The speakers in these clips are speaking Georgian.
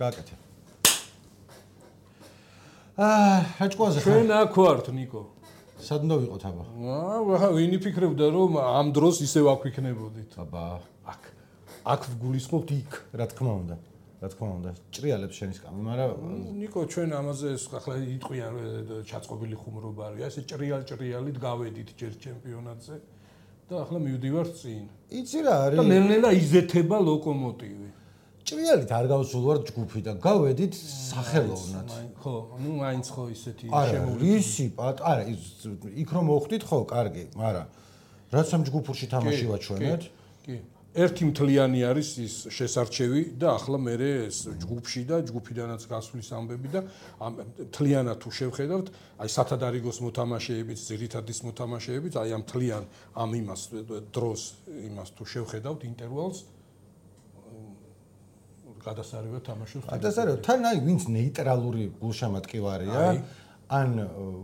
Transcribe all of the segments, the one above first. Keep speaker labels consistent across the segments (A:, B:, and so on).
A: გააკეთე. რაჭკუაზე ხარ?
B: ჩვენ აქ ვართ, ნიკო.
A: სად უნდა ვიყოთ აბა?
B: ვინ იფიქრებდა რომ ამ დროს ისევ აქ ვიქნებოდით?
A: აბა,
B: აქ ვგულისხმობთ იქ.
A: რა თქმა უნდა. რა თქმა უნდა, ჭრიალებს შენის კამი, მაგრამ
B: ნიკო ჩვენ ამაზე ახლა იტყვიან ჩაწყობილი ხუმრობა არის. ესე ჭრიალით გავედით ჯერ ჩემპიონატზე და ახლა მივდივართ წინ.
A: იცი რა არის?
B: და ნელ-ნელა იზეთება ლოკომოტივი.
A: ჭრიალით არ გავსულვართ ჯგუფიდან, გავედით სახელოვნად.
B: ხო, ნუ მაინც ხო ისეთი
A: შემოვლისი, არა, იქ რომ მოხვდით ხო, კარგი, მაგრამ რაც ამ ჯგუფურში თამაში ვაჩვენეთ?
B: კი. ერთი მთლიანი არის ის შესარჩევი და ახლა მე ეს ჯგუფში და ჯგუფიდანაც გასვლის ამბები და მთლიანად თუ შევხედავთ, აი სათადარიგოს მოთამაშეებით, ძირითადის მოთამაშეებით, აი ამ მთლიან ამ იმას დროს იმას თუ შევხედავთ ინტერვალს გადასარევად თამაშობს.
A: გადასარევად თან აი ვინც ნეიტრალური გულშემატკივარია, ან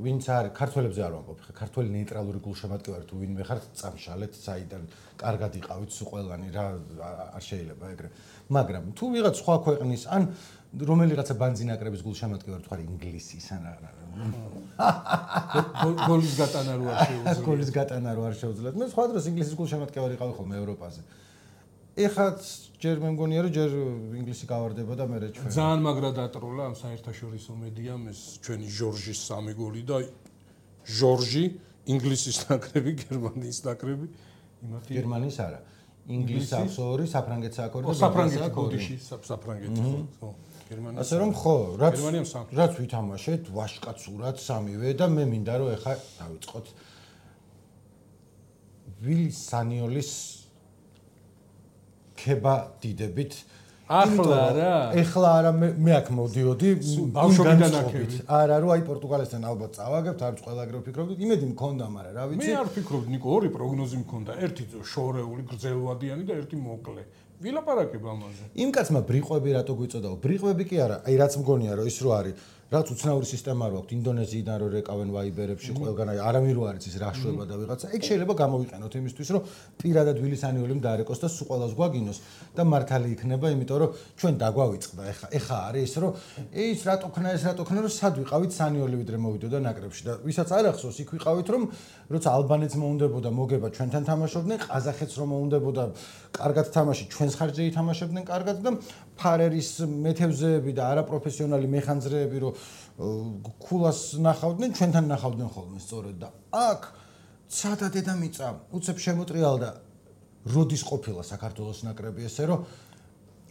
A: ვინც არის ქართველებზე არ ვამბობ, ქართველი ნეიტრალური გულშემატკივარი თუ ვინმე ხართ, წამშალეთ საიდან კარგად იყავით სულ ყველანი რა არ შეიძლება ეგრე. მაგრამ თუ ვიღაც სხვა ქვეყნის ან რომელიღაცა ბანძინაკრების გულშემატკივარი თუ არის ინგლისის ან
B: გოლის გატანა რო არ შეუძლია.
A: გოლის გატანა რო არ შეუძლიათ. მე სხვა დროს ინგლისის გულშემატკივარი იყავი ხოლმე ევროპაზე. ეხაც ჯერ მე მგონია რომ ჯერ ინგლისი გავარდება და მე ჩვენ
B: ძალიან მაგრა დატროლა ამ საერთაშორისო მედიამ ეს ჩვენი ჟორჟის 3 გოლი და ჟორჟი ინგლისის ნაკრები გერმანიის ნაკრები იმათი
A: გერმანიის არა ინგლისს აქვს 2 საფრანგეთს აქვს 2 და
B: საფრანგეთი გოდიში საფრანგეთი ხო გერმანია
A: ასე რომ ხო რაც ვითამაშეთ ვაშკაცურად 3-ვე და მე მინდა რომ ეხა დავიწყოთ ვილი სანიოლის ქება დიდებით
B: ახლა
A: არა მე აქ მოდიოდი
B: ბავშვობიდან აქებით
A: არა რომ აი პორტუგალიასთან ალბათ წავაგებთ არც ყველა ეგრე ვფიქრობდით იმედი მქონდა მაგრამ რა ვიცი
B: მე არ ვფიქრობდი ნიკო ორი პროგნოზი მქონდა ერთი შორეული გრძელვადიანი და ერთი მოკლე ვილაპარაკებ ამაზე
A: იმ კაცმა ბრიყვები რატო გვიწოდაო ბრიყვები კი არა აი რაც მგონია რომ ის რო არის რაც უცნაური სისტემა რო აქვს ინდონეზიიდან რო რეკავენ ვაიბერებში ყველგან აი არავინ რო არის ის რაშვება და ვიღაცა ეგ შეიძლება გამოვიყენოთ იმისთვის რომ პირადად ვილისანიოლი დაარეკოს და სულ ყველას გვაგინოს და მართალი იქნება იმიტომ რომ ჩვენ დაგვავიწყდა ეხა არის რომ ის რატო ქნა რომ სად ვიყავით სანიოლი ვიდრე მოვიდოდა ნაკრებში და ვისაც არ ახსოვს იქ ვიყავით რომ როცა ალბანეთს მოუნდებოდა მოგება ჩვენთან თამაშობდნენ ყაზახეთს რომ მოუნდებოდა კარგად თამაში ჩვენს ხარჯზე ითამაშებდნენ კარგად და ფარერის მეთევზეები და არაპროფესიონალი მეხანძრეები რომ ქულას ნახავდნენ ჩვენთან ნახავდნენ ხოლმე სწორედ და აქ ცადა დედამიწა უცებ შემოტრიალდა როდის ყოფილა საქართველოს ნაკრები ესე რომ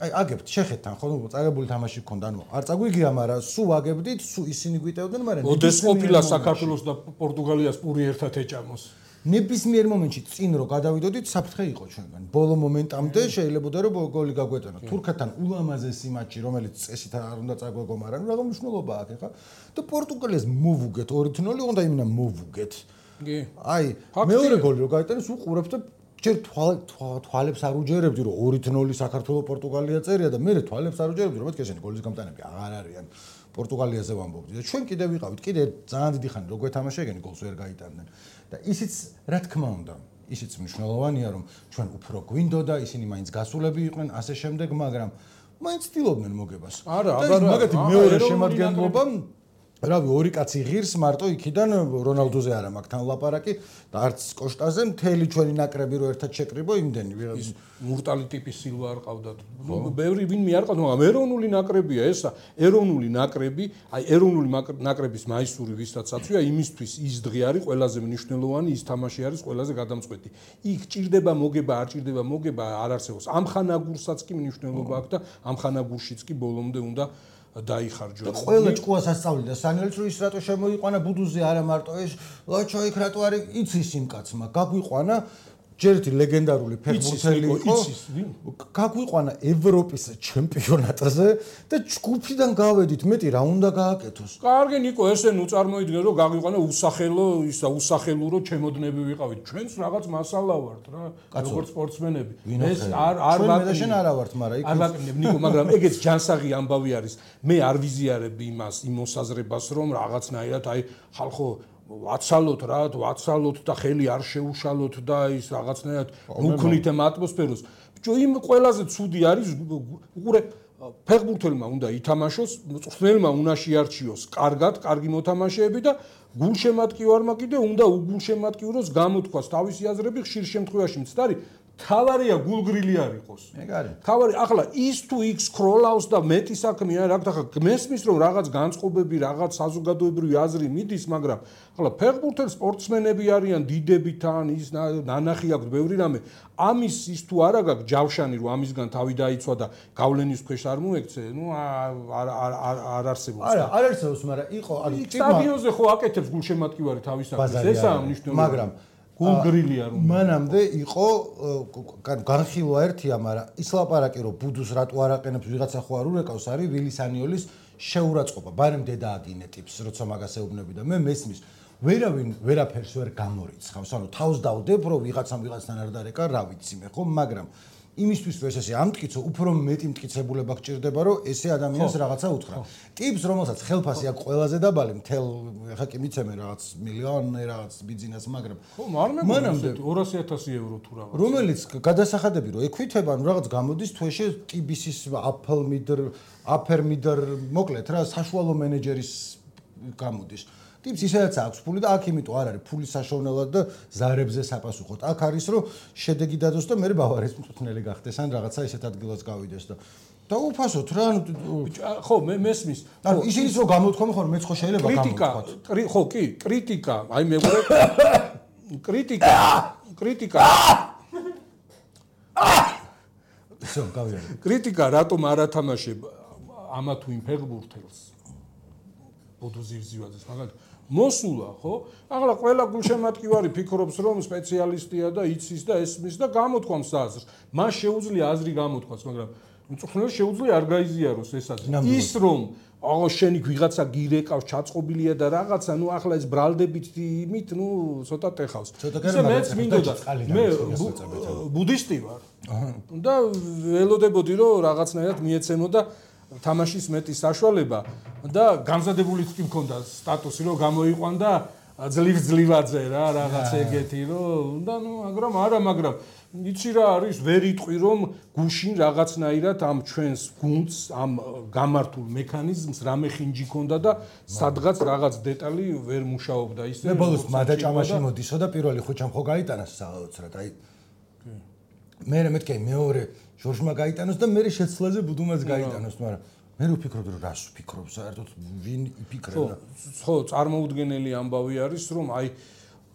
A: აი აგებთ შეხედთან ხო წაგებული თამაში გქონდა ანუ არ წაგვიგია მაგრამ სულ აგებდით სულ ისინი გვიტევდნენ მაგრამ
B: ოდეს ყოფილა საქართველოს და პორტუგალიას პური ერთად ეჭამოს
A: ნებისმიერ მომენტში წინ რო გადავიდოდით საფრთხე იყო ჩვენგან ბოლო მომენტამდე შეიძლებოდა რომ გოლი გაგვეტანოთ თურქეთთან ულამაზესი მატჩი რომელიც წესით არ უნდა წაგვეგო მაგრამ რა მნიშვნელობა აქვს ხა და პორტუგალიას მოვუგეთ 2-0 უნდა იმენა მოვუგეთ
B: კი
A: აი მეორე გოლი რო გაიტანეს უყურებთ და ჯერ თვალებს არ უჯერებდი რომ 2-0 საქართველოს პორტუგალია წერია და მე თვალებს არ უჯერებდი რომ მეთქე შენ გოლის გამტანები აღარ არიან პორტუგალიაზე ვამბობდი და ჩვენ კიდე ვიყავით კიდე ძალიან დიდი ხანი რო გვეთამაშა ეგენი გოლს ვერ გაიტანდნენ და ისიც რა თქმა უნდა ისიც მნიშვნელოვანია რომ ჩვენ უფრო გვინდოდა ისინი მაინც გასულები იყვნენ ასე შემდეგ მაგრამ მაინც ცდილობდნენ მოგებას
B: არა
A: მაგათი მეორე შემადგენლობა რავი ორი კაცი ღირს მარტო იქიდან რონალდოზე არა მაგთან ლაპარაკი და არც კოშტაზე მთელი ჩვენი ნაკრები რო ერთად შეკრიბო იმდენი
B: ის მურტალი ტიპის სილვა არ ყავდათ ბევრი ვინმე არ ყავდა მაგრამ ეროვნული ნაკრებია ესა ეროვნული ნაკრები აი ეროვნული ნაკრების მაისური ვისაც აწვია იმისთვის ის დღე არის ყველაზე მნიშვნელოვანი ის თამაში არის ყველაზე გადამწყვეტი იქ ჭირდება მოგება არ ჭირდება მოგება არ არსებობს ამხანაგურსაც კი მნიშვნელობა აქვს და ამხანაგურშიც კი ბოლომდე უნდა დაიხარჯო.
A: ყველა ჭკუას ასწავლიდა სანიოლს რომ ის რატო შემოიყვანა ბუდუზე არა მარტო ეს ლოჩო იქ რატო არის იცის იმ კაცმა გაგვიყვანა ჯერ ერთი ლეგენდარული ფეხბურთელი იყო გაგვიყვანა ევროპის ჩემპიონატზე და ჯგუფიდან გავედით მეტი რა უნდა გააკეთოს
B: კარგი ნიკო ესე ნუ წარმოიდგინე რომ გაგვიყვანა usახელო ისა usახელურო ჩემოდნები ვიყავით ჩვენც რაღაც მასალა ვართ რა როგორც სპორტსმენები ეს არ
A: ვაკნებ არა ვართ მაგრამ იქ
B: არ ვაკნებ ნიკო მაგრამ ეგეც ჯანსაღი ამბავი არის მე არ ვიზიარებ იმას იმ მოსაზრებას რომ რაღაცნაირად აი ხალხო ვაცალოთ და ხელი არ შეუშალოთ და ის რაღაცნაირად უქნით ამ ატმოსფეროს. ბიჭო, იმ ყველაზე ცუდი არის ფეხბურთელმა უნდა ითამაშოს, მწვრთნელმა უნდა შეარჩიოს კარგი მოთამაშეები და გულშემატკივარმა კიდე უნდა უგულშემატკივროს გამოთქვას თავისი აზრები ხშირ შემთხვევაში მცდარი თავარია გულგრილი არ იყოს.
A: ეგ არის.
B: თავარი ახლა ის თუ იქ სკროლავს და მეტი საქმეა რა გთახა გმესმის რომ რაღაც განწყობები, რაღაც საზოგადოებრივი აზრი მიდის, მაგრამ ახლა ფეხბურთელ სპორტსმენები არიან დიდები თან ის ნანახი აქვს ბევრი რამე. ამის ის თუ არა გაქვს ჯავშანი რომ ამისგან თავი დაიცვა და გავლენის ქვეშ არ მოექცე, ნუ არ არსებობს.
A: არ არსებობს, მაგრამ იყო არის
B: სტადიონზე ხო აკეთებს გულშემატკივარი თავისათვის. ესაა მნიშვნელოვანი.
A: მაგრამ
B: გულგრილია რომ
A: მანამდე იყო განხილვა ერთია, მაგრამ ის ლაპარაკი რომ ბუდუს რატო არ აყენებს ვიღაცა ხო არ ურეკავს არის ვილისანიოლის შეურაცხყოფა. ბარემ დედა აგინე ტიპს, როცა მაგას ეუბნები და მე მესმის ვერავინ ვერაფერს ვერ გამორიცხავს. ანუ თავს დავდებ რომ ვიღაცთან არ დარეკა, რა ვიცი მე ხო, მაგრამ იმისთვის რომ ესე ამტკიცო, უფრო მეტი მტკიცებულება გჭირდება, რომ ესე ადამიანს რაღაცა უთხრა. ტიპს, რომელსაც ხელფასი აქვს ყველაზე დაბალი, მთელ ხა კი მიცემენ რაღაც მილიონი რაღაც ბიზნეს, მაგრამ
B: ხო, მანამდე 200,000 ევრო თუ რაღაც.
A: რომელიც გადასახადები რომ ექვითება, ანუ რაღაც გამოდის თვეში ტიბისის აფერმიდერ მოკლედ რა საშუალო მენეჯერის გამოდის. ტიპს ისედაც აქვს ფული და აქ იმიტომ არ არის ფულის საშოვნელად და ზარებზე საპასუხოდ. აქ არის რომ შედეგი დადოს და მე ბავარიის მწვრთნელი გახდეს ან რაღაცა ისეთ ადგილას გავიდეს და დაუფასოთ რა ანუ
B: ხო მე მესმის.
A: ანუ ისინიც რომ გამოთქვამენ ხო მეც ხო შეიძლება
B: გამოთქვათ. ხო კი, კრიტიკა, აი მეგობრე კრიტიკა
A: ისო გავიარე.
B: კრიტიკა რატომ არ ათამაშებ ამა თუ იმ ფეხბურთელს ბოდუზივზივაძეს მაგალითად მოსულა ხო? ახლა ყველა გულშემატკივარი ფიქრობს რომ სპეციალისტია და იცის და ესმის და გამოთქვამს აზრს. მას შეუძლია აზრი გამოთქვას, მაგრამ მწვრთნელს შეუძლია არ გაიზიაროს ეს აზრი. ის რომ აღო შენი ვიღაცა გირეკავს, ჩაწყობილია და რაღაცა, ნუ ახლა ეს ბრალდებით იმით, ნუ ცოტა ტეხავს.
A: ისე
B: მეც მინდოდა მე ბუდისტი ვარ. და ველოდებოდი რომ რაღაცნაირად მიეცემოდა თამაშის მეტი საშუალება და გამზადებულიც კი მქონდა სტატუსი რომ გამოიყვანდა ძლივაძე რა რაღაც ეგეთი რომ და ნუ მაგრამ იცი რა არის ვერ იტყვი რომ გუშინ რაღაცნაირად ამ ჩვენს გუნდს ამ გამართულ მექანიზმს რამე ხინჯი ქონდა და სადღაც რაღაც დეტალი ვერ მუშაობდა ისე
A: მე ბოლოს მადაჭამაში მოდისო და პირველი ხუჩამ ხო გაიტანას საოცრად აი მე მეთქე მეორე ჟორჟმა გაიტანოს და მე შეცვლაზე ბუდუმაც გაიტანოს, მაგრამ მე ვფიქრობ რომ რას ვფიქრობ საერთოდ ვინ იფიქრება.
B: ხო, წარმოუდგენელი ამბავი არის რომ აი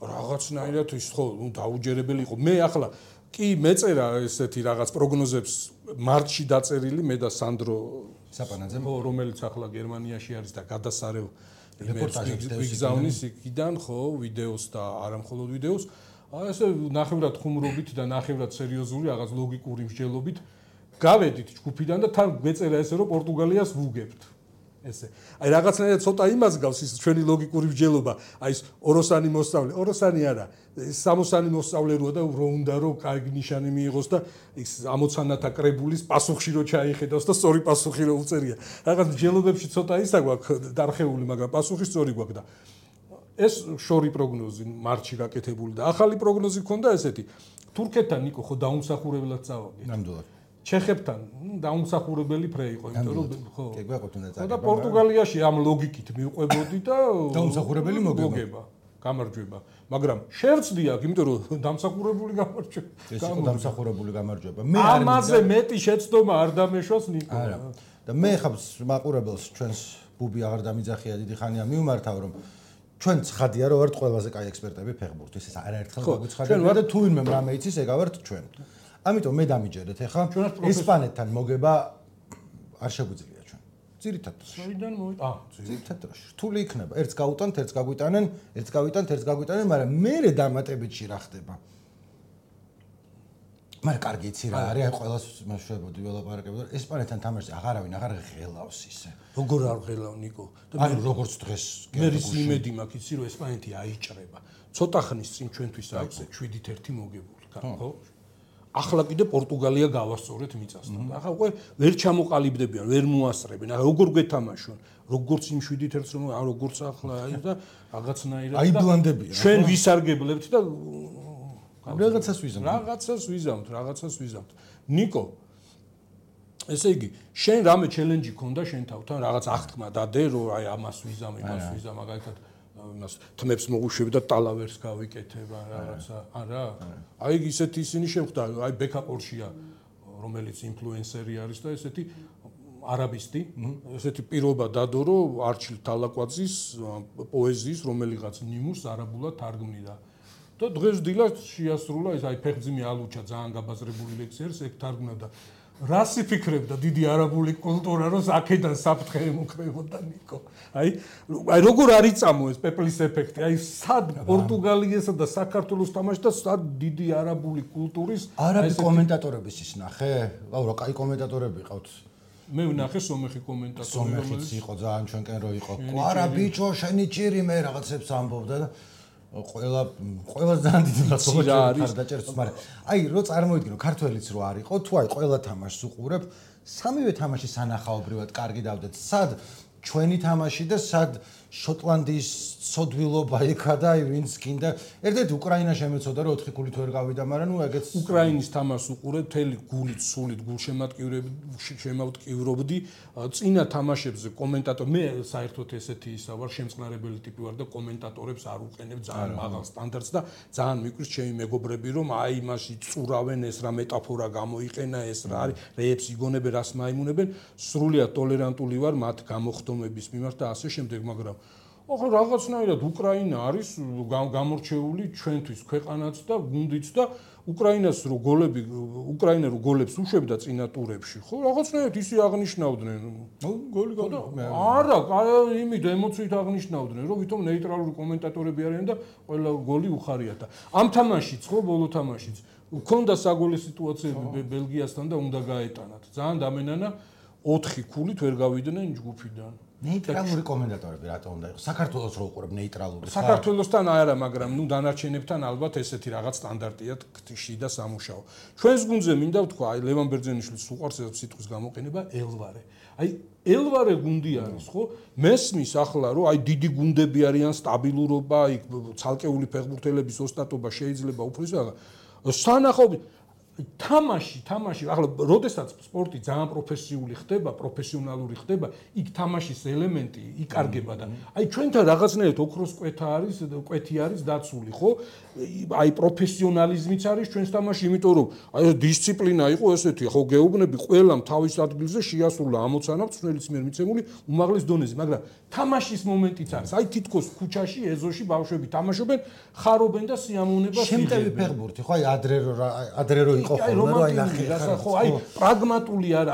B: რაღაცნაირად ის ხო, ნუ დაუჯერებელი იყო. მე ახლა კი მეწერა ესეთი რაღაც პროგნოზებს მარტში დაწერილი მე და სანდრო
A: საპანაძე,
B: რომელიც ახლა გერმანიაში არის და გადასარევ რეპორტაჟებს ვიგზავნის იქიდან ხო, ვიდეოს და არა მხოლოდ ვიდეოს. ასე ნახევრად ხუმრობით და ნახევრად სერიოზული რაღაც ლოგიკური მსჯელობით გავედით ჯგუფიდან და თან მეწერა ესე რომ პორტუგალიას ვუგებთ ესე აი რაღაცნაირად ცოტა იმას გავს ის ჩვენი ლოგიკური მსჯელობა აი ეს ოროსანი მოსწავლე ოროსანი არა სამოსანი მოსწავლე როა და რო უნდა რომ კარგი ნიშანი მიიღოს და ის ამოცანათა კრებულის პასუხში რო ჩაიხედოს და სწორი პასუხი რო უწერია რაღაც მსჯელობებში ცოტა ისა გვაქვს დარხეული მაგრამ პასუხი სწორი გვაქვს და ეს შორი პროგნოზი მარტში გაკეთებული და ახალი პროგნოზი ქონდა ესეთი თურქეთთან ნიკო ხო დაუმსახურებლად წავაგეთ
A: ნამდვილად
B: ჩეხებთან დაუმსახურებელი ფრე იყო იმიტომ რომ ხო
A: კი გვაყოფთ უნდა წაგება
B: და პორტუგალიაში ამ ლოგიკით მივყვებოდი და
A: დაუმსახურებელი
B: მოგება გამარჯვება მაგრამ შევწდი აქ იმიტომ რომ დამსახურებული გამარჯვება
A: ეს იყო დამსახურებული გამარჯვება
B: მე ამაზე მეტი შეცდომა არ დამეშვას ნიკო
A: არა და მე ხა მაყურებელს ჩვენს ბუბი აღარ დამიძახია დიდი ხანია მიმართავ რომ ჩვენ ცხადია რომ ვართ ყველაზე კაი ექსპერტები ფეხბურთის ეს არაერთხელ გაგვიცხადებია და თუ ვინმე რამე იცის ეგ ავართ ჩვენ ამიტომ მე დამიჯერეთ ეხლა ესპანეთთან მოგება არ შეგვიძლია ჩვენ ძირითადად
B: შოიდან
A: ძირითადად დროში რთული იქნება ერთს გაუტანთ ერთს გაგვიტანენ ერთს გავიტანთ ერთს გაგვიტანენ მაგრამ მე დამატებითში რა ხდება მაგრამ კარგი იცი რა არის აი ყველას მეშვებოდი ველაპარაკებოდი ესპანეთთან თამაშზე აღარავინ აღარ ღელავს ისე
B: როგორ არ ღელავ ნიკო
A: და როგორც დღეს
B: მე რის იმედი მაქვს იცი რომ ესპანეთი აიჭრება ცოტა ხნის წინ ჩვენთვის აქვს 7-1 მოგებული ხო ახლა კიდე პორტუგალია გავასწორეთ მიწასთან. ახლა უკვე ვერ ჩამოყალიბდებიან, ვერ მოასწრებენ. ახლა როგორ გეთამაშონ? როგორც იმ 7-1-ს რომ როგორც ახლა აი და რაღაცნაირად
A: აი ბლანდებიან.
B: ჩვენ ვისარგებლებთ და
A: რაღაცას ვიზამთ.
B: რაღაცას ვიზამთ. ნიკო ესე იგი, შენ რამე ჩელენჯი ქონდა შენ თავთან, რაღაც აღთქმა დადე, რომ აი ამას ვიზამ, მაგალითად იმას თმებს მოუშვები და ტალავერს გავიკეთება რაღაცა. არა. აი ისეთი ისინი შეხვდა, აი ბექაპორშია, რომელიც ინფლუენსერი არის და ესეთი არაბისტი, ესეთი პირობა დადო, რომ არჩილ თალაკვაძის პოეზიის რომელიღაც ნიმუშს არაბულად თარგმნიდა. და დღეს დილას შეასრულა ეს აი ფეხძიმი ალუჩა ძალიან გაბაზრებული ლექსია, ეგ თარგმნა და რას იფიქრებდა დიდი არაბული კულტურა, რომ აქედან საფრთხე ემუქრებოდა ნიკო. აი როგორ არის წამო ეს პეპლის ეფექტი? აი სად პორტუგალიესა და საქართველოს თამაში და სად დიდი არაბული კულტურის
A: არაბი კომენტატორების ის ნახე? რა კაი კომენტატორები ყავთ?
B: მე ვნახე სომეხი კომენტატორი,
A: რომელიც იყო ძალიან ჩვენკენ რო იყო. კვარა ბიჭო, შენი ჭირი მე რაღაცებს ამბობდა და ყველა ძალიან დიდი მადლობა არის დაჭერს, მაგრამ აი რო წარმოიდგინო ქართველიც რო არისო, თუ აი ყველა თამაშს უყურებ, სამივე თამაში სანახაობრივად კარგი დავდეთ. სად ჩვენი თამაში და სად შოტლანდიის სოდვილობა იქა და აი ვინც გინდა. ერთ-ერთი უკრაინა შემეცოდა რომ 4 ქულით ვერ გავიდა, მაგრამ ნუ ეგეც
B: უკრაინის თამაშს უყურებ, მთელი გულით, სულით გულშემატკივრობდი. წინა თამაშებზე კომენტატორ მე საერთოდ ესეთი ისა ვარ, შემწყნარებელი ტიპი ვარ და კომენტატორებს არ უყენებ ძალიან მაღალ სტანდარტს და ძალიან მიკვირს ჩემი მეგობრები რომ აი იმაში წურავენ, ეს რა მეტაფორა გამოიყენა, ეს რა არის, რეებს იგონებენ, რას მაიმუნებენ. სრულიად ტოლერანტული ვარ მათ გამოხდომების მიმართ და ასე შემდეგ, მაგრამ ახლა რაღაცნაირად უკრაინა არის გამორჩეული ჩვენთვის ქვეყანაც და გუნდიც და უკრაინას რო გოლები უკრაინა რო გოლებს უშვებდა წინა ტურებში, ხო, რაღაცნაირად ისე აღნიშნავდნენ. გოლი გადა. არა, იმით ემოციით აღნიშნავდნენ, რომ ვითომ ნეიტრალური კომენტატორები არიან და ყველა გოლი უხარიათ და ამ თამაშიც, ხო, ბოლო თამაშიც ქონდა საგოლე სიტუაციები ბელგიასთან და უნდა გაეტანათ. ძალიან დამენანა 4 ქულით ვერ გავიდნენ ჯგუფიდან.
A: ნეიტრალური კომენტატორები რატო უნდა იყოს? საქართველოს რო უყურებ ნეიტრალური.
B: საქართველოსთან არა, მაგრამ ნუ დანარჩენებთან ალბათ ესეთი რაღაც სტანდარტია ქტიში და სამუშაო. ჩვენს გუნდზე მინდა ვთქვა, აი ლევან ბერძენიშვილს უყვარს ეს სიტყვის გამოყენება ელვარე. აი ელვარე გუნდი არის, ხო? მესმის ახლა რომ აი დიდი გუნდები არიან, სტაბილურობა, აი ცალკეული ფეხბურთელების ოსტატობა შეიძლება უფრო ის რაღაც. სანახაობრივ თამაში, ახლა როდესაც სპორტი ძალიან პროფესიული ხდება, პროფესიონალური ხდება, იქ თამაშის ელემენტი იკარგება და აი ჩვენთან რაღაცნაირად ოქროს კვეთი არის დაცული, ხო? აი პროფესიონალიზმიც არის ჩვენს თამაში, იმიტომ რომ აი დისციპლინა იყო ესეთი, ხო, გეუბნები ყველამ თავის ადგილზე შეასრულა ამოცანა წვრილის მიერ მიცემული უმაღლეს დონეზე, მაგრამ თამაშის მომენტიც არის. აი თითქოს ქუჩაში, ეზოში ბავშვები თამაშობენ, ხარობენ და სიამოვნებას იღებენ.
A: შემტევი ფეხბურთი, ხო, აი ადრე რო იყო ხოლმე, რომ აი ნახე,
B: ხო, აი პრაგმატული არა,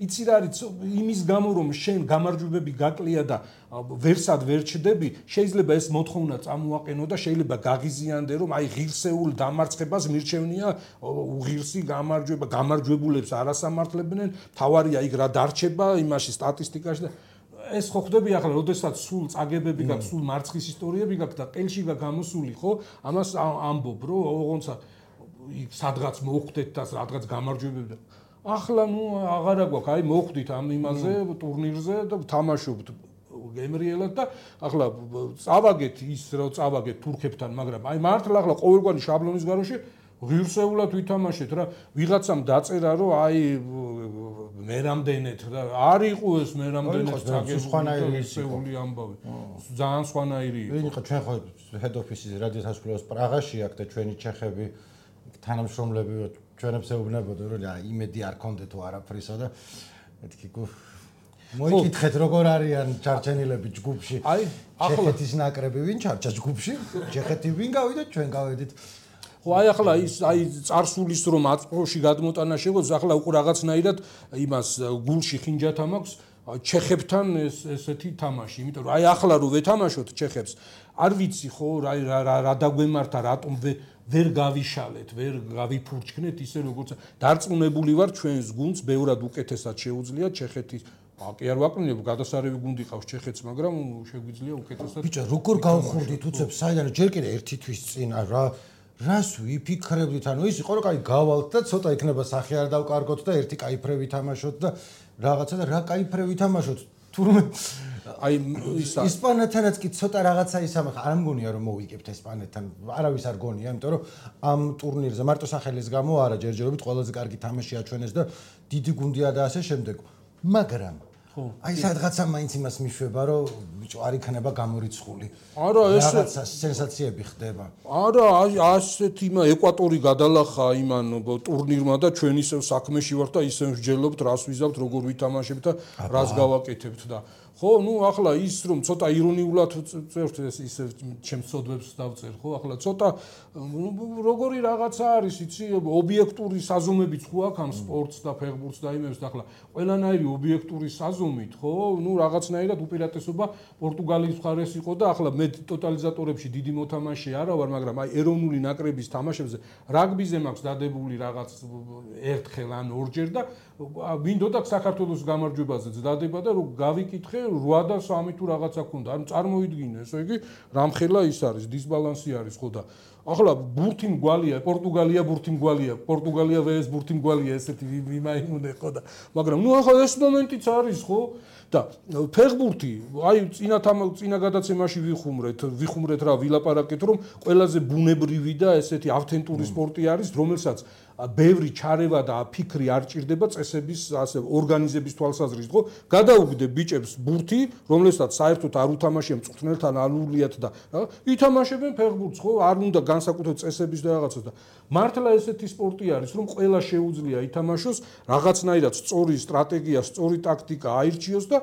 B: იცი რა არის იმის გამო რომ შენ გამარჯვებები გაკლია და ვერსად ვერ ჩდები, შეიძლება ეს მოთხოვნა წამოაყენო და შეიძლება გაღიზიანდე რომ აი ღირსეულ დამარცხებას მირჩევნია უღირსი გამარჯვება, გამარჯვებულებს არასამართლებდნენ, თავარია იქ რა დარჩება იმაში სტატისტიკაში და ეს ხო ხდები ახლა, როდესაც სულ წაგებები გაქვს, სულ მარცხის ისტორიები გაქვს და ყელში გამოსული, ხო? ამას ამბობ, რომ ოღონდ სადღაც მოხვდეთ და სადღაც გამარჯვებები და ახლა ნუ აღარა გვაქვს, აი მოხვდით ამ იმაზე ტურნირზე და თამაშობთ გემრიელად და ახლა წავაგეთ ის რომ წავაგეთ თურქებთან, მაგრამ აი მართლა ახლა ყოველგვარი შაბლონის გარშე ღირსეულად ვითამაშეთ რა, ვიღაცამ დაწერა რომ აი მე რამდენეთ და არ იყო ეს მე რამდენეთ
A: სხვანაირი
B: ამბავი. ძალიან სხვანაირი იყო.
A: ვინ იყო ჩვენ ხო head office-ის რადიოსაშუალებას პრაღაში აქვს და ჩვენი ჩეხები თანამშრომლები ჩვენებს ეუბნებოდნენ რომ იმედი არ კონდეთო არაფრისა და მეთქი მოიკითხეთ როგორ არიან ჩარჩენილები ჯგუფში. აი ჩეხეთის ნაკრები ვინ ჩარჩა ჯგუფში? ჩეხეთი ვინ გავიდა? ჩვენ გავედით.
B: ხო აი ახლა ის აი წარსულის რომ აწმოში გადმოტანა შეგვეძლო, ახლა უკვე რაღაცნაირად იმას გულში ხინჯათა მაქვს ჩეხებთან ესეთი თამაში, იმიტომ რომ აი ახლა რო ვეთამაშოთ ჩეხებს, არ ვიცი ხო რა დაგვემართა, რატომ ვერ გავიშალეთ, ვერ გავიფურჩქნეთ ისე როგორც დარწმუნებული ვარ ჩვენს გუნდს ბევრად უკეთესად შეუძლია ჩეხეთის კი არ ვაკნინებ, გადასარევი გუნდი ყავს ჩეხეთს, მაგრამ შეგვიძლია უკეთესად.
A: ბიჭო, როგორ გავხურდით უცებს საიდან ჯერ კიდე ერთი თვის წინ რას ვიფიქრებდით, ანუ ის იყო რომ კაი გავალთ და ცოტა იქნება სახე არ დავკარგოთ და ერთი კაი ფრე ვითამაშოთ და რაღაცა და რა კაი ფრე ვითამაშოთ. თურმე
B: აი ისა
A: ისპანეთთანაც კი ცოტა რაღაცა ისამ არ მგონია რომ მოვიგებთ ესპანეთთან არავის არ გონია იმიტომ რომ ამ ტურნირზე მარტო სახელის გამო არა ჯერჯერობით ყველაზე კარგი თამაში აჩვენეს და დიდი გუნდია და ასე შემდეგ მაგრამ აი სადღაცა მაინც იმას მიშვება რომ ბიჭო არ იქნება გამორიცხული
B: არა ეს
A: რაღაცა სენსაციები ხდება
B: არა ასეთ იმა ეკვატორი გადალახა იმან ტურნირმა და ჩვენ ისევ საქმეში ვართ და ისევ ვსჯელობთ რას ვიზავთ როგორ ვითამაშებთ და რას გავაკეთებთ და ხო ნუ ახლა ის რომ ცოტა ირონიულად წერთ ეს ისე ჩემს სოდვებს დავწერ ხო ახლა ცოტა როგორი რაღაცა არის იცი ობიექტური საზომებიც ხო აქვს ამ სპორტს და ფეხბურთს და იმებს და ახლა ყველანაირი ობიექტური საზომით ხო ნუ რაღაცნაირად უპირატესობა პორტუგალიის მხარეს იყო და ახლა მე ტოტალიზატორებში დიდი მოთამაშე არა ვარ მაგრამ აი ეროვნული ნაკრების თამაშებზე რაგბიზე მაქვს დადებული რაღაც ერთხელ ან ორჯერ და მინდოდა საქართველოს გამარჯვებაზეც დადება და რომ გავიკითხე 8 და 3 თუ რაღაცა ქონდა. ანუ წარმოიდგინე, ესე იგი, რამხელა ის არის, დისბალანსი არის ხო და ახლა ბურთი მგვალია, პორტუგალია ბურთი მგვალია, პორტუგალია VS ბურთი მგვალია, ესეთი ვიმაიმუნე ხო და მაგრამ ნუ ახლა ეს მომენტიც არის ხო? და ფეხბურთი, აი წინა გადაცემაში ვიხუმრეთ რა, ვილაპარაკეთ რომ ყველაზე ბუნებრივი და ესეთი ავთენტური სპორტი არის, რომელსაც ბევრი ჩარევა და ფიქრი არ ჭირდება წესების ასე ორგანიზების თვალსაზრისით, ხო? გადაუგდე ბიჭებს ბურთი, რომელსაც საერთოდ არ უთამაშია მწვრთნელთან ალულიათ და ითამაშებენ ფეხბურთს, ხო? არ უნდა განსაკუთრებით წესების და რაღაცას და მართლა ესეთი სპორტი არის, რომ ყველა შეუძლია ითამაშოს, რაღაცნაირად სწორი სტრატეგია, სწორი ტაქტიკა აირჩიოს და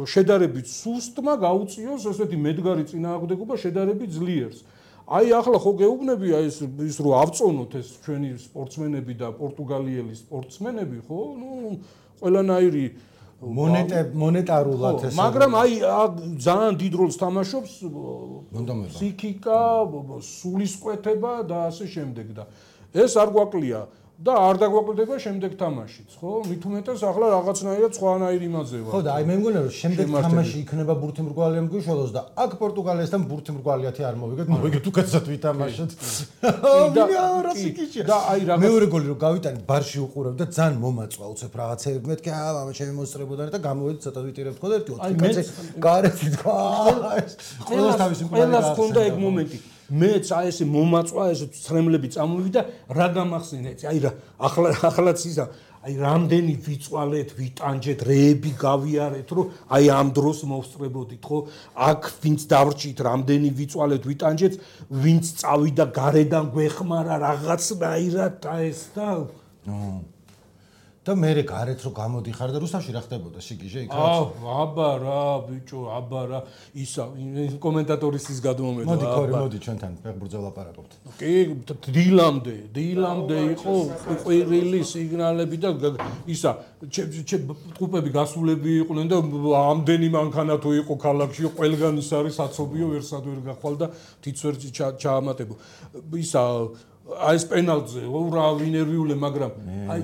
B: შედარებით სუსტმა გაუწიოს ესეთი მედგარი წინააღმდეგობა შედარებით ძლიერს. აი ახლა ხო გეუბნებია ის რომ ავწონოთ ეს ჩვენი სპორტსმენები და პორტუგალიელი სპორტსმენები ხო ნუ ყველანაირი
A: მონეტარულად
B: ეს მაგრამ აი ძალიან დიდ როლს თამაშობს ფსიქიკა, სულისკვეთება და ასე შემდეგ და ეს არ გვაკლია და არ დაგვაკლდება შემდეგ თამაშიც, ხო? მით უმეტეს ახლა რაღაცნაირად სხვანაირ იმაზე ვარ.
A: ხო და აი მე მგონია რომ შემდეგ თამაში იქნება ბურთი მრგვალია მგვიშველოს და აქ პორტუგალიასთან ბურთი მრგვალიათი არ მოვიგეთ უკეთესად ვითამაშეთ. და აი რაღაც მეორე გოლი რომ გავიტანეთ ბარში უყურებ და ძალიან მომაწვა უცებ რაღაცები მეთქე მამა ჩემი მოსწრებოდანი და გამოვედი ცოტა ვიტირებთ ხო და ერთი 4 კაცი გარეთ თქვა. ყველას თავისი მკვლელი
B: ყველას ქონდა ეგ მომენტი. მეც აი ესე მომაწვა ეს ცრემლები წამოვიდა რა გამახსენე აი რა ახლაც ისა აი რამდენი ვიწვალეთ ვიტანჯეთ რეები გავიარეთ რომ აი ამ დროს მოვსწრებოდით ხო აქ ვინც დავრჩით რამდენი ვიწვალეთ ვიტანჯეთ ვინც წავიდა გარედან გვეხმარა რაღაცნაირად და ეს და
A: და მე გარეთ რო გამოდიხარ და რუსთავში რა ხდებოდა შიგიჟე იქაც
B: აბა რა ბიჭო აბა რა ისა კომენტატორის ის გადმომედა
A: მოდი ჩვენთან ფეხბურთზე ვლაპარაკობთ
B: კი დილამდე იყო ყვირილი სიგნალები და ისა ტყუპები გასულები იყვნენ და ამდენი მანქანა თუ იყო ქალაქში ყველგან ის არის აცობიო ვერსად ვერ გახვალ და თიც ვერ ჩაამატებო ისა აი ეს პენალტზე რა ვინერვიულე მაგრამ აი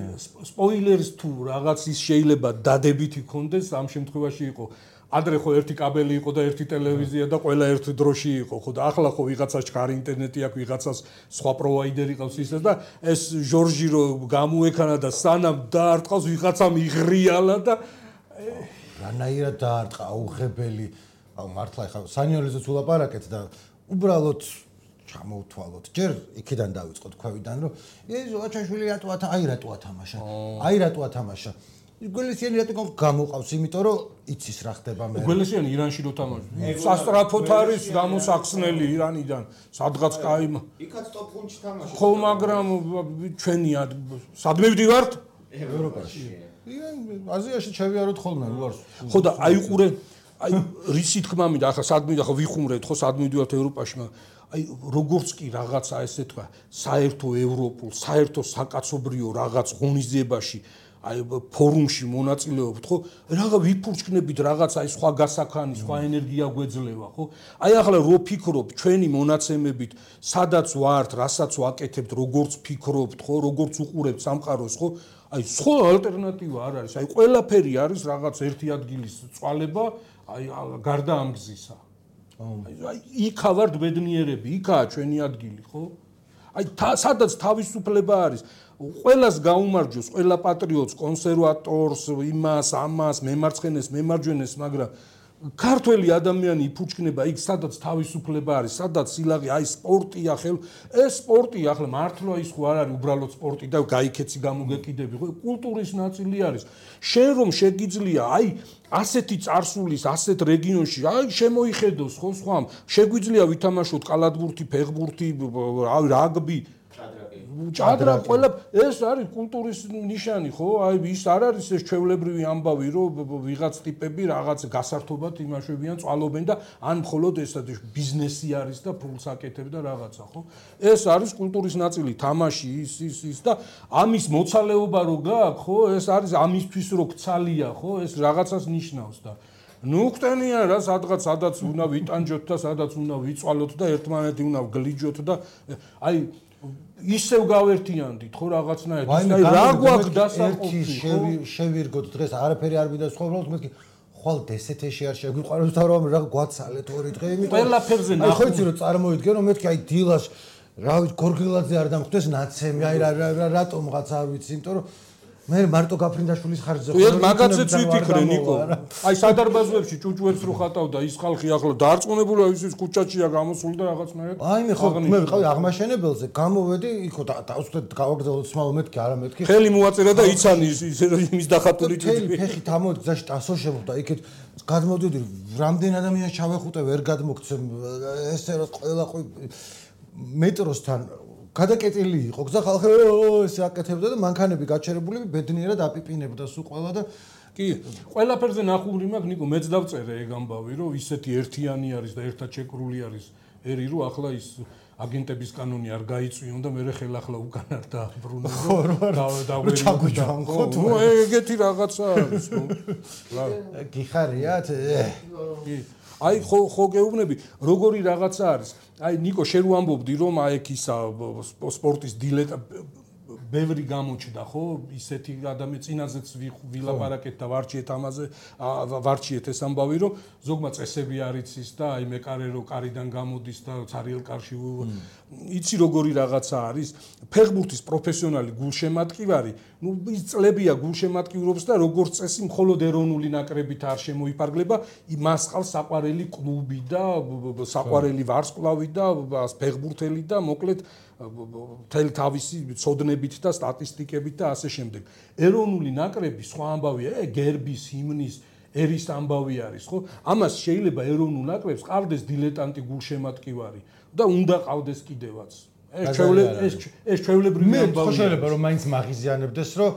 B: სპოილერს თუ რაღაც ის შეიძლება დადებითი კონდეს ამ შემთხვევაში იყო ადრე ხო ერთი კაბელი იყო და ერთი ტელევიზია და ყველა ერთ დროში იყო ხო და ახლა ხო ვიღაცას ჩქარი ინტერნეტი აქვს ვიღაცას სხვა პროვაიდერი ყავს ისე და ეს ჟორჟი რო გამოექანა და სანამ დაარტყავს ვიღაცამ იღრიალა და
A: რანაირად დაარტყა აუღებელი აუ მართლა ხა სანიორიზეც ვლაპარაკეთ და უბრალოდ ჩამოვთვალოთ. ჯერ იქიდან დავიწყოთ ქვევიდან, რომ ეს აჩაშვილი რატოა თამაშა. გველესიანი რატო გამოყავს, იმიტომ რომ იცის რა ხდება მე.
B: გველესიანი ირანში რო თამაშობს. სასტრაფოთ არის გამოსახსნელი ირანიდან. სადღაც კაი.
C: იქაც ტოპ 5-ში თამაშობს.
B: ხო, მაგრამ ჩვენი სადმე ვდივართ?
A: ევროპაში. აზიაში ჩავიაროთ ხოლმე, უარს.
B: ხო და აიყურე აი რისი თქმა მინდა ახლა სადმე ახლა ვიხუმრეთ ხო სადმე ვდივართ ევროპაში მაგრამ აი როგორც კი რაღაცა ესე თქვა საერთო ევროპულ საერთო საკაცობრიო რაღაც ღონისძიებაში აი ფორუმში მონაწილეობთ ხო რაღა ვიფურჩქნებით რაღაც აი სხვა გასახანი სხვა ენერგია გვეძლევა ხო აი ახლა რო ფიქრობ ჩვენი მონაცემებით სადაც ვართ რასაც ვაკეთებთ როგორც ფიქრობთ ხო როგორც უყურებთ სამყაროს ხო აი სხვა ალტერნატივა არ არის აი ყველაფერი არის რაღაც ერთი ადგილის წვალება აი გარდა ამ გზისა აი იქა ვართ ბედნიერები იქაა ჩვენი ადგილი ხო აი სადაც თავისუფლება არის ყველას გაუმარჯოს ყველა პატრიოტს კონსერვატორს იმას ამას მემარცხენეს მემარჯვენეს მაგრამ ქართველი ადამიანი იფუჭკნება იქ სადაც თავისუფლება არის, სადაც სილაღე, აი სპორტია, ეს სპორტი ახლა მართლა ის ხო არ არის უბრალოდ სპორტი და გაიქეცი გამოგეკიდები, ხო კულტურის ნაწილი არის. შენ რომ შეგიძლია აი ასეთი წარსულის, ასეთ რეგიონში, აი შემოიხედოს ხო სხვამ, შეგვიძლია ვითამაშოთ კალათბურთი, ფეხბურთი, რაგბი, ჭადრა, ყველა ეს არის კულტურის ნიშანი, ხო? აი ის არ არის ეს ჩვეულებრივი ამბავი, რომ ვიღაც ტიპები რაღაც გასართობად იმაშვებიან, წვალობენ და ან მხოლოდ ეს ბიზნესი არის და ფულს აკეთებ და რაღაცა, ხო? ეს არის კულტურის ნაწილი, თამაში, ის და ამის მოცალეობა რო გაქვს, ხო? ეს არის ამისთვის რო ქცალია, ხო? ეს რაღაცას ნიშნავს და ნუ ხტენიან რა სადაც უნდა ვიტანჯოთ და სადაც უნდა ვიწვალოთ და ერთმანეთი უნდა გლიჯოთ და აი ისევ გავერთიანდით ხო რაღაცნაირად აი რა გვაქვს დასაყოფი
A: შევირგოთ დღეს არაფერი არ ვიდა სხვა უბრალოდ მეთქი ხვალ დსთ-ში არ შეგვიყვარებს და რომ რა გვაცალეთ ორი დღე იმიტომ
B: ყველაფერზე
A: ნახო ხო იცი რომ წარმოიდგენ რომ მეთქი აი დილას რა ვიცი გორგილაძე არ დამხვდეს ნაცემი აი რატომღაც არ ვიცი იმიტომ რომ მე მარტო გაფრინდაშვილის ხარჯზე
B: ხო ეს მაგაცეც ვიფიქრე ნიკო აი სადარბაზოებში ჭუჭუებს რო ხატავდა ის ხალხი ახლა დაარწმუნებულია ის ქუჩაჩია გამოსული და რაღაცნაირად
A: აი მე ხო მე ვიყავი აღმაშენებელზე გამოვედი იქო დავსვდეთ გავაგრძელოთ სმავა მეთქი არა მეთქი
B: ხელი მოაწერა და იცანი ის დახატული
A: ჭუჭუები ფეხით ამოდი გზაში ტასო შემოხდა იქეთ გადმოდიოდი რამდენ ადამიანს ჩავეხუტე ვერ გადმოგცემ ესე რომ ყველა მეტროსთან გადაკეტილი იყო გზა ხალხი ესე აკეთებდა და მანქანები გაჩერებული ბედნიერად აპიპინებდა სულ ყველა და
B: კი ყველაფერზე ნახური მაქვს ნიკო მეც დავწერე ეგ ამბავი რომ ისეთი ერთიანი არის და ერთად შეკრული არის ერი რომ ახლა ის აგენტების კანონი არ გაიწვიონ და მე ხელახლა უკან არ დააბრუნო და
A: ჩაგვიჯანხოთ
B: ნუ ეგეთი რაღაცა არის ხო
A: გიხარიათ
B: აი ხო გეუბნები როგორი რაღაცა არის აი ნიკო შენ რო ამბობდი რომ აი ეგ ისა სპორტის დილეტა ბევრი გამოჩნდა ხო ისეთი ადამიანი წინაზეც ვილაპარაკეთ და ვარჩიეთ ამაზე ვარჩიეთ ეს ამბავი რომ ზოგმა წესები არ იცის და აი მეკარე რო კარიდან გამოდის და ცარიელ კარში იცი როგორი რაღაცა არის ფეხბურთის პროფესიონალი გულშემატკივარი ნუ ის წლებია გულშემატკივრობს და როგორც წესი მხოლოდ ეროვნული ნაკრებით არ შემოიფარგლება მას ყავს საყვარელი კლუბი და საყვარელი ვარსკვლავი და ფეხბურთელი და მოკლედ თელ თავისი ცოდნებით და სტატისტიკებით და ასე შემდეგ. ეროვნული ნაკრები სხვა ამბავია, გერბის, ჰიმნის, ერის ამბავი არის, ხო? ამას შეიძლება ეროვნულ ნაკრებს ყავდეს დილეტანტი გულშემატკივარი და უნდა ყავდეს კიდევაც. ეს ჩვეულებრივი ამბავია.
A: მე შეიძლება რომ მაინც მაღიზიანებდეს, რომ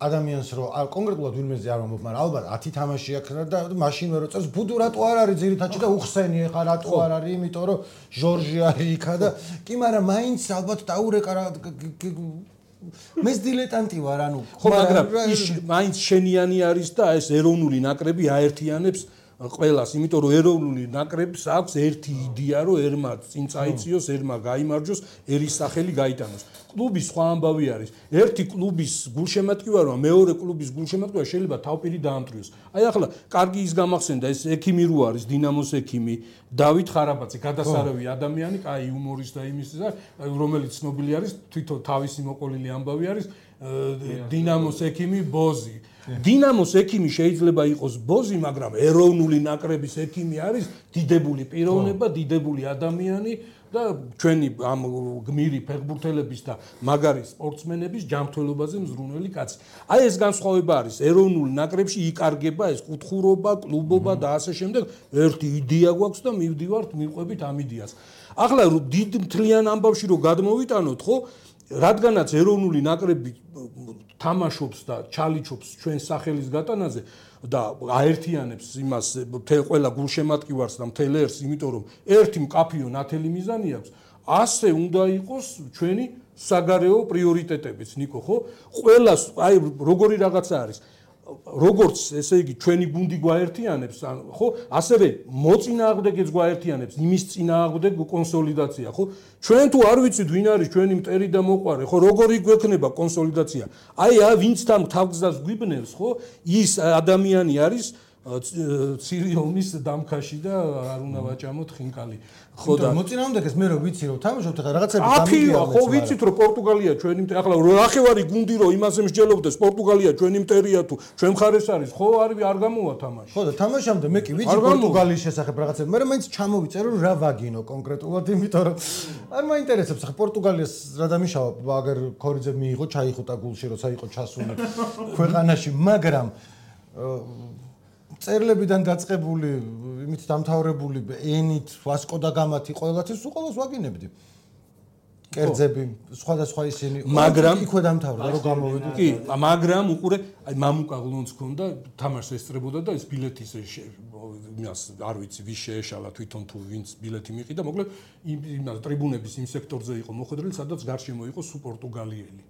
A: ადამიანს რო კონკრეტულად ვინმეზე არ მომობ, მაგრამ ალბათ 10 თამაში აქვს და მაშინვე რო წელს ბუდუ რატო არ არის ძირითადში და უხსენი ხა რატო არ არის, იმიტომ რომ ჟორჟი არის იქა და კი, მაგრამ მაინც ალბათ დაურეკა რა მე დილეტანტი ვარ, ანუ
B: ხო, მაგრამ ის მაინც შენიანი არის და ეს ეროვნული ნაკრები აერთიანებს ყველას, იმიტომ რომ ეროვნული ნაკრებს აქვს ერთი იდეა, რომ ერმა წინ წაიწიოს, ერმა გაიმარჯოს, ერის სახელი გაიტანოს. კლუბის სხვა ამბავი არის. ერთი კლუბის გულშემატკივარმა მეორე კლუბის გულშემატკივარმა შეიძლება თავპირი დაამტვრიოს. აი ახლა კარგი ის გამახსენდა ეს ექიმი რო არის, დინამოს ექიმი, დავით ხარაბაძე, გადასარევი ადამიანი, კაი იუმორისტი და იმის და რომელიც ცნობილი არის, თვითონ თავისი მოყოლილი ამბავი არის, დინამოს ექიმი ბოზი. დინამოს ექიმი შეიძლება იყოს ბოზი, მაგრამ ეროვნული ნაკრების ექიმი არის დიდებული პიროვნება, დიდებული ადამიანი და ჩვენი ამ გმირი ფეხბურთელების და მაგარი სპორტსმენების ჯანმრთელობაზე მზრუნველი კაცი. აი ეს განსხვავება არის. ეროვნულ ნაკრებში იკარგება ეს კუთხურობა, კლუბობა და ასე შემდეგ. ერთი იდეა გვაქვს და მივდივართ მივყვებით ამ იდეას. ახლა დიდ მთლიან ამბავში რო გადმოვიტანოთ, ხო? რადგანაც ეროვნული ნაკრები თამაშობს და ჩალიჩობს ჩვენ სახელის გატანაზე და აერთიანებს იმას მთელ ყველა გულშემატკივარს და მთელ ერს, იმიტომ რომ ერთი მკაფიო ნათელი მიზანი აქვს, ასე უნდა იყოს ჩვენი საგარეო პრიორიტეტებიც, ნიკო, ხო? ყველას აი როგორი რაღაცა არის. როგორც ესე იგი ჩვენი გუნდი გვაერთიანებს, ხო? ასევე მოწინააღმდეგეც გვაერთიანებს, იმის წინააღმდეგ კონსოლიდაცია, ხო? ჩვენ თუ არ ვიცით ვინ არის ჩვენი მტერი და მოყვარე, ხო? როგორი გვექნება კონსოლიდაცია? აი ვინც თან თავგზას გვიბნევს, ხო? ის ადამიანი არის ცირიონის დამქაში და არ უნდა ვაჭამოთ ხინკალი. ხო და
A: მოწინააღმდეგეს მე რო ვიცი რომ თამაშობთ ახლა რაღაცები
B: აფიო ხო ვიცით რომ პორტუგალია ჩვენი ახლა რახევარი გუნდი რომ იმაზე მსჯელობდეს პორტუგალია ჩვენი მტერია თუ ჩვენ მხარეს არის ხო არ გამოვა თამაში.
A: ხო და თამაშამდე მე კი ვიცი პორტუგალიის შესახებ რაღაცები მაგრამ მაინც ჩამოვიწერო რომ რა ვაგინო კონკრეტულად იმიტომ რომ არ მაინტერესებს ახლა პორტუგალიას რა დამიშავა აგერ ქორიძე მიიღო ჩაიხუტა გულში როცა იყო ჩასული ქვეყანაში მაგრამ წერლებიდან დაწყებული იმით დამთავრებული ენით ვასკო და გამათი ყველათი სულ ყოველს ვაგინებდი კერძები სხვადასხვა ისინი
B: მაგრამ
A: იქვე დამთავრდა რომ გამოვედი
B: კი მაგრამ უყურე აი მამუკა გლონს ქონდა თამაშს ესწრებოდა და ეს ბილეთის იმას არ ვიცი ვის შეეშალა თვითონ თუ ვინც ბილეთი მიყიდა მოკლედ იმას ტრიბუნების იმ სექტორზე იყო მოხვედრილი სადაც გარშემო იყო სუ პორტუგალიელი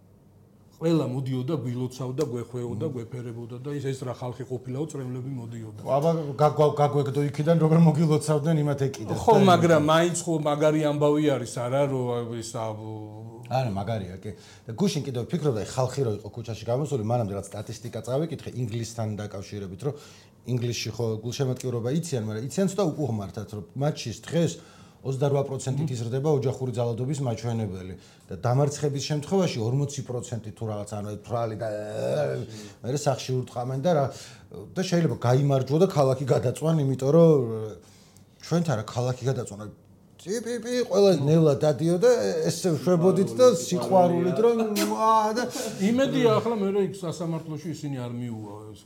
B: ყველა მოდიოდა გვილოცავდა გვეხვეოდა გვეფერებოდა და ეს რა ხალხი ყოფილაო წრემლები მოდიოდა
A: აბა გაგვეკდო იქიდან როგორ მოგილოცავდნენ იმათ ეკიდა
B: ხო მაგრამ მაინც ხო მაგარი ამბავი არის არა რომ ის
A: არა მაგარია კი და გუშინ კიდევ ვფიქრობდა ხალხი რო იყო ქუჩაში გამოსული მანამდე რაც სტატისტიკა წავიკითხე ინგლისთან დაკავშირებით რომ ინგლისში ხო გულშემატკივრობა იციან მაგრამ იციან ცოტა უკუღმართად რომ მატჩის დღეს 28%-ით იზრდება ოჯახური ძალადობის მაჩვენებელი და დამარცხების შემთხვევაში 40% თუ რაღაც ანუ თვრალი და მე სახში ურტყამენ და შეიძლება გაიმარჯვო და ქალაქი გადაწვან იმიტომ რომ ჩვენთან რა ქალაქი გადაწვან პი ყველა ნელა დადიოდა ესე შვებოდით და სიყვარულით რომ და
B: იმედია ახლა მე იქ სასამართლოში ისინი არ მიუვა ეს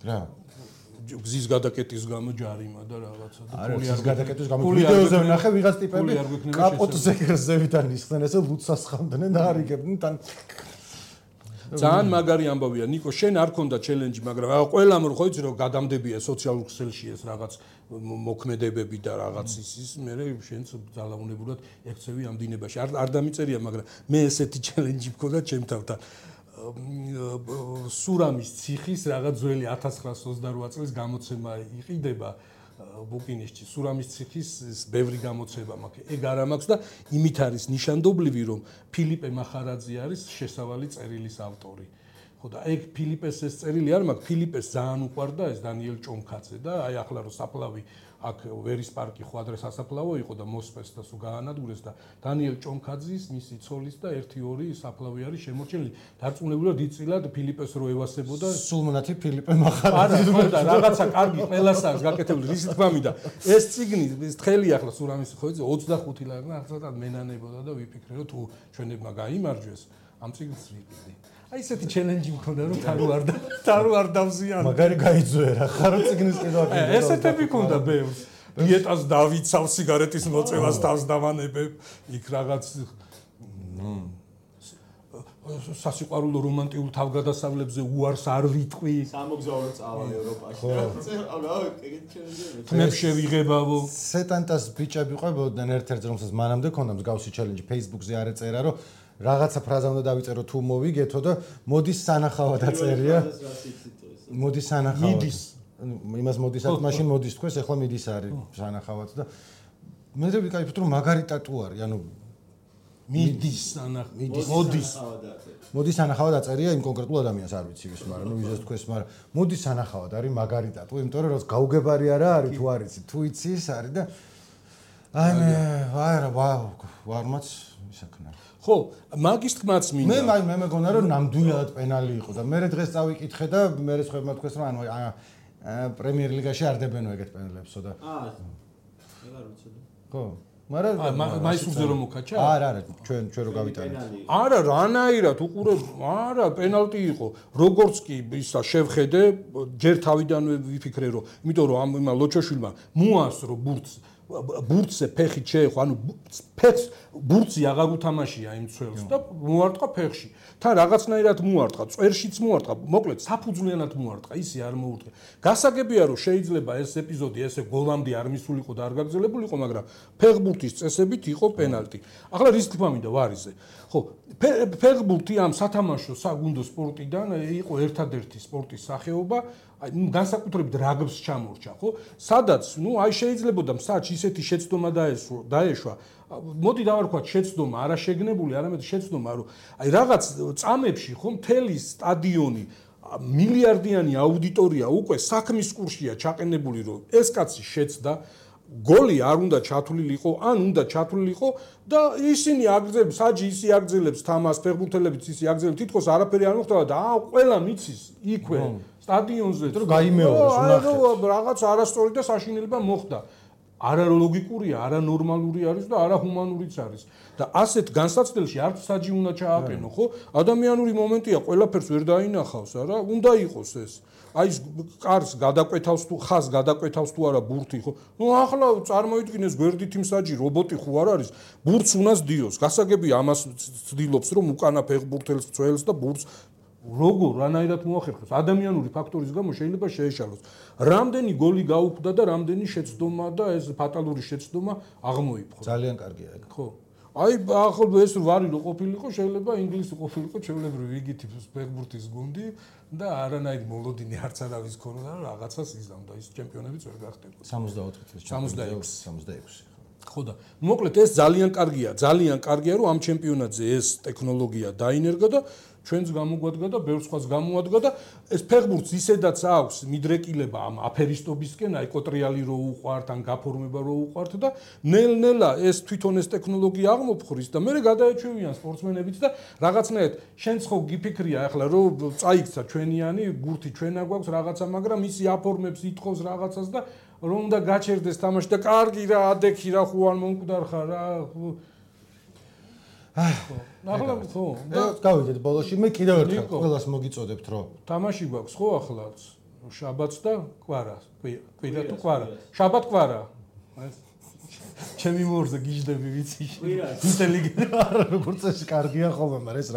A: რა
B: გზის გადაკეტის გამო ჯარიმა და რაღაცა და
A: პული არ გადაკეტის გამო ვიდეოზე ვნახე ვიღაც ტიპები კაპოტზე გერზევიდან ისხდნენ ესე ლუცას ხამდნენ და არიგებდნენ თან
B: ძალიან მაგარი ამბავია ნიკო შენ არ ქონდა ჩელენჯი მაგრამ ყველამ რო ხო იცი რომ გადამდებია სოციალურ ქსელში ეს რაღაც მოქმედებები და რაღაც ის მე შენც ძალაუნებურად ექცევი ამ დინებაში არ დამიწერია მაგრამ მე ესეთი ჩელენჯი მქონდა ჩემთან სურამის ციხის რაღაც ძველი 1928 წლის გამოცემა იყიდება ბუკინისში სურამის ციხის ბევრი გამოცემა მაქვს ეგ არ მაქვს და იმით არის ნიშანდობლივი რომ ფილიპე მახარაძე არის შესავალი წერილის ავტორი ხო და ეგ ფილიპეს ეს წერილი არ მაქვს ფილიპეს ძალიან უყვარდა ეს დანიელ ჭონქაძე და აი ახლა რომ საფლავი აქ ვერის პარკი ხო ადრე სასაფლავო იყო და მოსპეს და სულ გაანადგურეს და დანიელ ჭონქაძის მისი ცოლის და 1-2 საფლავი არის შემორჩენილი დარწმუნებულად იწილად ფილიპეს რო ევასებოდა
A: სულმონათი ფილიპე მახარაძე
B: არა და რაღაცა კარგი ყველას აქვს გაკეთებული რის თქმა მინდა ეს ციგნი ეს თხელი ახლა სურამის ხოიძე 25 ლარი ახლა მენანებოდა და ვიფიქრე რომ თუ ჩვენებმა გაიმარჯვეს ამ ციგნს ვიყიდი აი ესეთი ჩელენჯი მქონდა რომ თარო არ დავზიანო
A: მაგარი გაიძვე რა ხარო ციგნის კიდევ
B: ესეთები მქონდა ბევრს დიეტას დავიცავ სიგარეტის მოწევას თავს დავანებებ იქ რაღაც სასიყვარულო რომანტიულ თავგადასავლებზე უარს არ ვიტყვი
C: სამოგზაურო წავალ ევროპაში
B: თმებს შევიღებავო
A: სეტანტას ბიჭები ყვებოდნენ ერთ-ერთ რომელსაც მანამდე ქონდა მსგავსი ჩელენჯი Facebook-ზე არ ეწერა რომ რაღაცა ფრაზა უნდა დავიწერო თუ მოვიგეთო და მოდის სანახავად აწერია მოდის სანახავად
B: მიდის
A: იმას მოდისაც მაშინ მოდის თქვენს ახლა მიდის არის სანახავად და მე ვიკაიფოთ რომ მაგარი ტატუ არის ანუ
B: მიდის
A: მოდის სანახავად აწერია იმ კონკრეტულ ადამიანს არ ვიცი ვის მაგრამ ნუ ვიზეს თქვენს მაგრამ მოდის სანახავად არის მაგარი ტატუ იმიტომ რომ რაც გაუგებარი არა არის თუ არ იცი თუ იცი ის არის და აი მე ვარმაც ისაქნა
B: ხო მაგის თქმაც მინდა
A: მე მეგონა რომ ნამდვილად პენალი იყო და მე დღეს წავიკითხე და მე სხვებმა თქვეს რომ ანუ პრემიერ ლიგაში არ დებენო ეგეთ პენელებსო და
C: ეგ არ ვიცოდი
A: ხო მაგრამ
B: მაისურზე რომ მოკაჩა
A: არა ჩვენ რო გავიტანეთ
B: არა რანაირად უყურებ არა პენალტი იყო როგორც კი ისა შევხედე ჯერ თავიდანვე ვიფიქრე რომ იმიტომ რომ ამ ლოჩოშვილმა მოასრო ბურთზე ფეხი შეეხო ანუ ფეხს ბურთზე აღარ უთამაშია იმ ცველს და მოარტყა ფეხში თან რაღაცნაირად მოარტყა წვერშიც მოარტყა მოკლედ საფუძვლიანად მოარტყა ისე არ მოურტყა გასაგებია რომ შეიძლება ეს ეპიზოდი ესე გოლამდე არ მისულიყო და არ გაგრძელებულიყო მაგრამ ფეხბურთის წესებით იყო პენალტი ახლა რის თქმა მინდა ვარიზე ხო ფეხბურთი ამ სათამაშო საგუნდო სპორტიდან იყო ერთადერთი სპორტის სახეობა აი განსაკუთრებით რაგბს ჩამორჩა ხო სადაც ნუ აი შეიძლებოდა მსაჯ ისეთი შეცდომა დაეშვა მოდი დავარქვათ შეცდომა არა შეგნებული არამედ შეცდომა რომ აი რაღაც წამებში ხო მთელი სტადიონი მილიარდიანი აუდიტორია უკვე საქმის კურსია ჩაყენებული, რომ ეს კაცი შეცდა გოლი არ უნდა ჩათვლილიყო, ან უნდა ჩათვლილიყო და ისინი აგრძელებს, საჯი ისი აგრძელებს თამას, ფეხბურთელებიც ისი აგრძელებს, თითქოს არაფერი არ მოხდება და ყველა მიცის იქვე სტადიონზე,
A: რომ გაიმეოროს
B: ნახეთ. რაღაც არასწორი და საშინელება მოხდა. არა ლოგიკურია, არა ნორმალური არის და არა ჰუმანურიც არის. და ასეთ განსაცდელში არც საჯი უნდა ჩააყენო, ხო? ადამიანური მომენტია, ყველაფერს ვერ დაინახავს, არა? უნდა იყოს ეს. აი ეს კარს გადაკვეთავს თუ ხას გადაკვეთავს თუ არა ბურთი, ხო? ნუ ახლა წარმოიდგინეს გვერდით იმ საჯი რობოტი ხო არ არის? ბურთს უნას დიოს. გასაგებია ამას ცდილობს რომ უკანა ფეხბურთელს წველს და ბურთს როგორ რანაირად მოახერხოს ადამიანური ფაქტორის გამო შეიძლება შეეშალოს. რამდენი გოლი გაუხდა და რამდენი შეცდომა და ეს ფატალური შეცდომა აღმოიფხო.
A: ძალიან კარგია ეგ.
B: ხო. აი ახლა ეს ვარი რო ყოფილიყო, შეიძლება ინგლისი ყოფილიყო, ჩვეულებრივი ვიგითი ფეხბურთის გუნდი და არანაირი მოლოდინი არც არავის ქონოდა, რაღაცას იზამდა, ის ჩემპიონებიც ვერ გახდებოდა.
A: 64 წლის 66.
B: ხო და მოკლედ ეს ძალიან კარგია, რომ ამ ჩემპიონატზე ეს ტექნოლოგია დაინერგა და ჩვენს გამოგვადგა და ბევრ სხვას გამოადგა და ეს ფეხბურთს ისედაც აქვს მიდრეკილება ამ აფერისტობისკენ, აი კოტრიალი რო უყვართ, ან გაფორმება რო უყვართ და ნელ-ნელა ეს თვითონ ეს ტექნოლოგია აღმოფხრის და მერე გადაეჩვევიან სპორტსმენებიც და რაღაცნაირად შენც ხო გიფიქრია ახლა რომ წაიქცა ჩვენიანი ბურთი ჩვენა გვაქვს რაღაცა, მაგრამ ისი აფორმებს ითხოვს რაღაცას და რომ უნდა გაჩერდეს თამაში და კარგი რა ადექი რა ხო არ მომკვდარხა რა ახლა ხო
A: და გავიდეთ ბოლოში მე კიდევ ერთხელ ყველას მოგიწოდებთ რომ
B: თამაში გვაქვს ხო ახლაც შაბათს და კვარა კვირა თუ კვარა შაბათ კვარა ჩემი მორზე გიждები ვიცი ინტელიგენტი
A: არა როგორც ეს კარგია ხოლმე მაგრამ ეს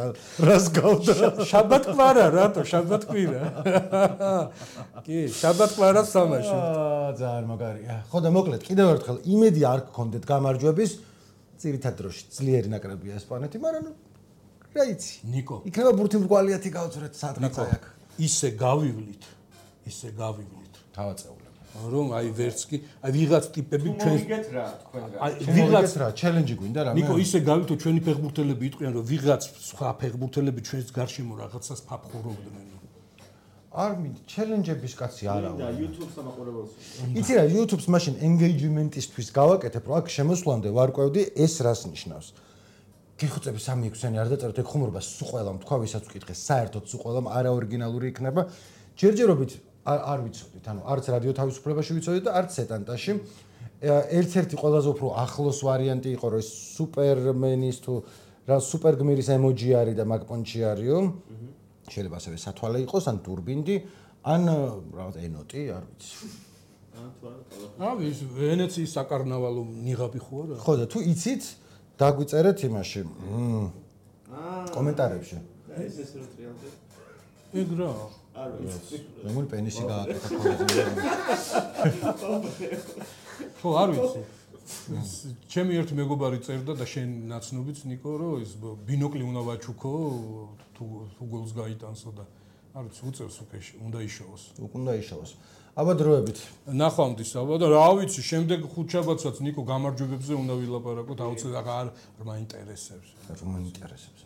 A: რას გავდა
B: შაბათ კვარა რატო შაბათ კვირა კი შაბათ კვარა თამაში
A: ძალიან მაგარია ხო და მოკლედ კიდევ ერთხელ იმედი არ გქონდეთ გამარჯვების ძირითად დროში ძლიერი ნაკრებია ესპანეთი, მაგრამ რა იცი.
B: ნიკო.
A: იქნება ბურთი მრგვალიათი გავწრეთ სადღაც აქ.
B: ისე გავივლით.
A: თავაწეულები.
B: რომ აი ვერც კი, აი ვიღაც ტიპები
C: ჩვენ მოგიგეთ რა თქვენგან.
A: აი ვიღაც რა ჩელენჯი გვინდა რა მე.
B: ნიკო ისე გავითო ჩვენი ფეხბურთელები იტყვიან რომ ვიღაც სხვა ფეხბურთელები ჩვენს გარშემო რაღაცას ფაფხურობდნენ.
A: არ მინდა ჩელენჯების კაცი არა
C: და YouTube-ს ამაყურებელს.
A: იცი რა YouTube-ს მაშინ engagement-ისთვის გავაკეთებ რომ აქ შემოსვლამდე ვარკვევდი ეს რას ნიშნავს. გიხუწები 3-6-იანი არ დაწეროთ ეგ ხუმრობა სულ ყველამ თქვა ვისაც ვკითხე საერთოდ სულ ყველამ არაორიგინალური იქნება. ჯერჯერობით არ ვიცოდით, ანუ არც რადიო თავისუფლებაში ვიცოდით და არც სეტანტაში. ერთ-ერთი ყველაზე უფრო ახლოს ვარიანტი იყო რომ ეს სუპერმენის თუ რა სუპერგმირის ემოჯი არის და მაგპონჩი არისო. შეიძლება ასევე სათვალე იყოს, ან ტურბინდი, ან რაღაც ენოტი, არ ვიცი.
B: ის ვენეციის საკარნავალო ნიღაბი ხო არა?
A: ხო და თუ იცით, დაგვიწერეთ იმაში. კომენტარებში.
C: ეს რო ტრიალზე.
B: ეგ რა.
C: არ ვიცი.
A: რომელი პენისი გააკეთა ხოლმე.
B: ხო, არ ვიცი. ჩემი ერთი მეგობარი წერდა და შენ ნაცნობიც ნიკო რომ ის ბინოკლი უნდა ვაჩუქო თუ გოლს გაიტანსო და არ ვიცი უწევს უკვე უნდა იშოვოს.
A: უნდა იშოვოს. აბა დროებით.
B: ნახვამდის აბა და რა ვიცი შემდეგ ხუთშაბათსაც ნიკო გამარჯვებებზე უნდა ვილაპარაკოთ აუცილებლად არ მაინტერესებს.
A: არ მაინტერესებს.